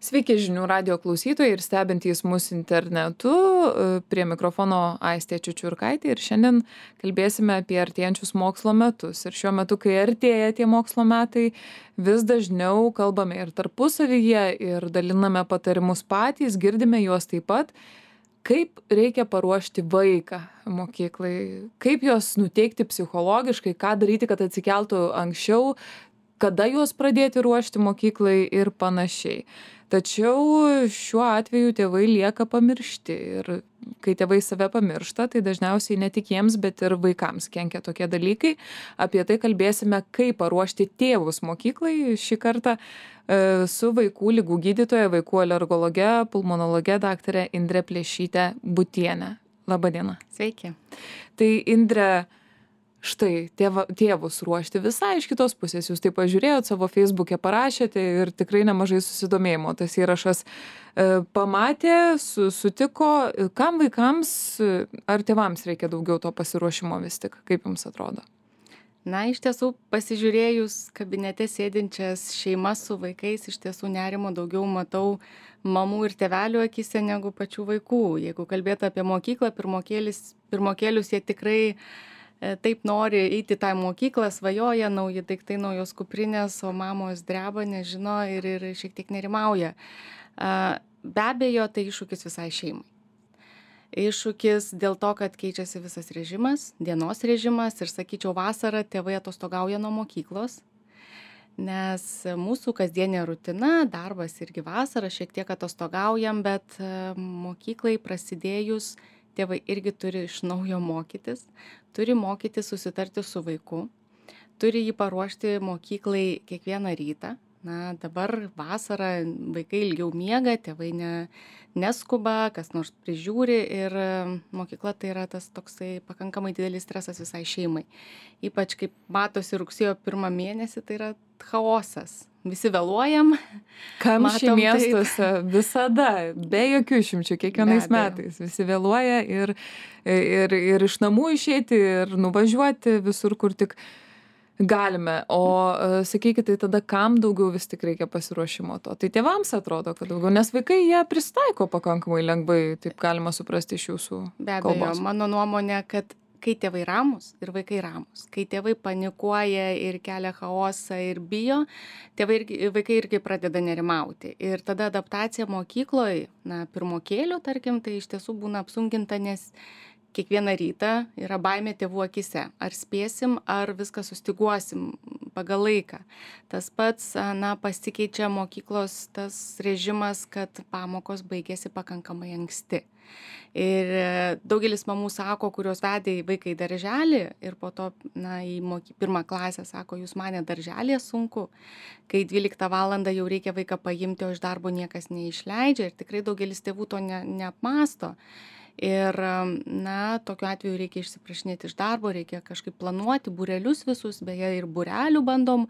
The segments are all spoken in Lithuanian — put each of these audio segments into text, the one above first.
Sveiki žinių radijo klausytojai ir stebintys mus internetu. Prie mikrofono Aistė Čiučiurkaitė ir šiandien kalbėsime apie artėjančius mokslo metus. Ir šiuo metu, kai artėja tie mokslo metai, vis dažniau kalbame ir tarpusavyje ir daliname patarimus patys, girdime juos taip pat. Kaip reikia paruošti vaiką mokyklai, kaip juos nuteikti psichologiškai, ką daryti, kad atsikeltų anksčiau, kada juos pradėti ruošti mokyklai ir panašiai. Tačiau šiuo atveju tėvai lieka pamiršti ir kai tėvai save pamiršta, tai dažniausiai ne tik jiems, bet ir vaikams kenkia tokie dalykai. Apie tai kalbėsime, kaip paruošti tėvus mokyklai šį kartą su vaikų ligų gydytoja, vaikų alergologe, pulmonologe daktarė Indre Plėšyte Butienė. Labadiena. Sveiki. Tai Indre, štai tėvus ruošti visai iš kitos pusės. Jūs tai pažiūrėjot, savo Facebook'e parašėte ir tikrai nemažai susidomėjimo. Tas įrašas pamatė, sutiko. Kam vaikams ar tėvams reikia daugiau to pasiruošimo vis tik? Kaip jums atrodo? Na, iš tiesų, pasižiūrėjus kabinete sėdinčias šeimas su vaikais, iš tiesų nerimo daugiau matau mamų ir tėvelių akise negu pačių vaikų. Jeigu kalbėtų apie mokyklą, pirmokėlius jie tikrai taip nori eiti tą mokyklą, svajoja, nauji daiktai, naujos kuprinės, o mamos dreba, nežino ir šiek tiek nerimauja. Be abejo, tai iššūkis visai šeimai. Iššūkis dėl to, kad keičiasi visas režimas, dienos režimas ir, sakyčiau, vasarą tėvai atostogauja nuo mokyklos, nes mūsų kasdienė rutina, darbas irgi vasarą, šiek tiek atostogaujam, bet mokyklai prasidėjus tėvai irgi turi iš naujo mokytis, turi mokytis susitarti su vaiku, turi jį paruošti mokyklai kiekvieną rytą. Na, dabar vasarą vaikai ilgiau miega, tėvai neskuba, kas nors prižiūri ir mokykla tai yra tas toksai pakankamai didelis stresas visai šeimai. Ypač kaip matosi rugsėjo 1 mėnesį, tai yra chaosas. Visi vėluojam. Kamščiai miestuose visada, be jokių išimčių, kiekvienais metais. Visi vėluoja ir iš namų išeiti, ir nuvažiuoti visur, kur tik galime. O sakykite, tai tada kam daugiau vis tik reikia pasiruošimo to? Tai tėvams atrodo, kad daugiau, nes vaikai jie prisitaiko pakankamai lengvai, taip galima suprasti iš jūsų kalbos. Be abejo, mano nuomonė, kad kai tėvai ramus ir vaikai ramus, kai tėvai panikuoja ir kelia chaosą ir bijo, vaikai irgi pradeda nerimauti. Ir tada adaptacija mokykloje, pirmokėlių, tarkim, tai iš tiesų būna apsunkinta, nes kiekvieną rytą yra baimė tėvų akise. Ar spėsim, ar viską sustiguosim pagal laiką. Tas pats, pasikeičia mokyklos tas režimas, kad pamokos baigėsi pakankamai anksti. Ir daugelis mamų sako, kurios vedė vaiką į darželį ir po to į 1 klasę sako, jūs mane darželėje sunku, kai 12 valandą jau reikia vaiką paimti, o iš darbo niekas neišleidžia ir tikrai daugelis tėvų to neapmąsto. Ir tokiu atveju reikia išsiprašinėti iš darbo, reikia kažkaip planuoti būrelius visus, beje ir būrelių bandom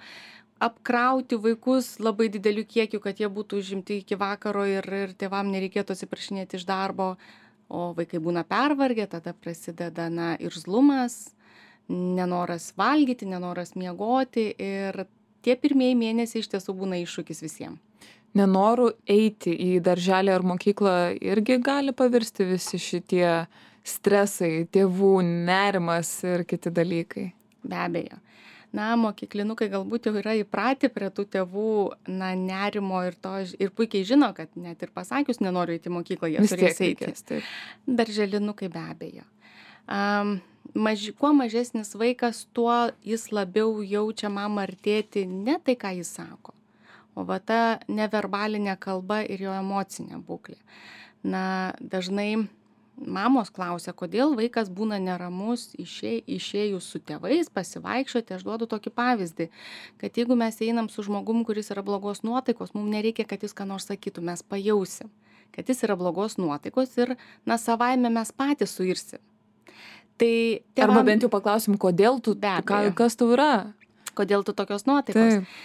apkrauti vaikus labai dideliu kiekiu, kad jie būtų užimti iki vakaro ir tėvam nereikėtų atsiprašinėti iš darbo, o vaikai būna pervargę, tada prasideda irzlumas, nenoras valgyti, nenoras miegoti ir tie pirmieji mėnesiai iš tiesų būna iššūkis visiems. Nenoru eiti į darželį ar mokyklą irgi gali pavirsti visi šitie stresai, tėvų nerimas ir kiti dalykai. Be abejo. Mokyklinukai galbūt jau yra įpratę prie tų tėvų nerimo ir puikiai žino, kad net ir pasakius nenoriu eiti į mokyklą, jie turės eiti. Darželinukai be abejo. Kuo mažesnis vaikas, tuo jis labiau jaučia mamą ar tėtį ne tai, ką jis sako, o ta neverbalinė kalba ir jo emocinė būklė. Dažnai mamos klausia, kodėl vaikas būna neramus išėjus su tėvais, pasivaikščioti. Aš duodu tokį pavyzdį, kad jeigu mes einam su žmogum, kuris yra blogos nuotaikos, mums nereikia, kad jis ką nors sakytų, mes pajausim, kad jis yra blogos nuotaikos ir savaime mes patys suirsim. Arba bent jau paklausim, kodėl tu, kas tau yra? Kodėl tu tokios nuotaikos? Taip.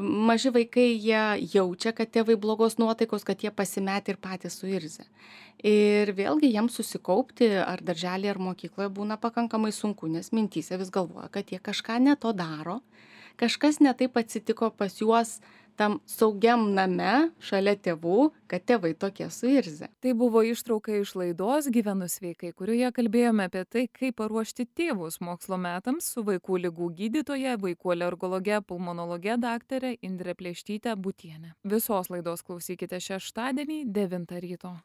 Maži vaikai jie jaučia, kad tėvai blogos nuotaikos, kad jie pasimetė ir patys suirzia. Ir vėlgi jiems susikaupti ar darželį ar mokykloje būna pakankamai sunku, nes mintyse vis galvoja, kad jie kažką ne to daro, kažkas ne taip atsitiko pas juos tam saugiam name šalia tėvų, kad tėvai tokie suirzę. Tai buvo ištrauka iš laidos Gyvenu sveikai, kurioje kalbėjome apie tai, kaip paruošti tėvus mokslo metams su vaikų ligų gydytoja, vaikų alergologe, pulmonologe daktare Indre Plėštyte Butiene. Visos laidos klausykite šeštadienį 9 ryto.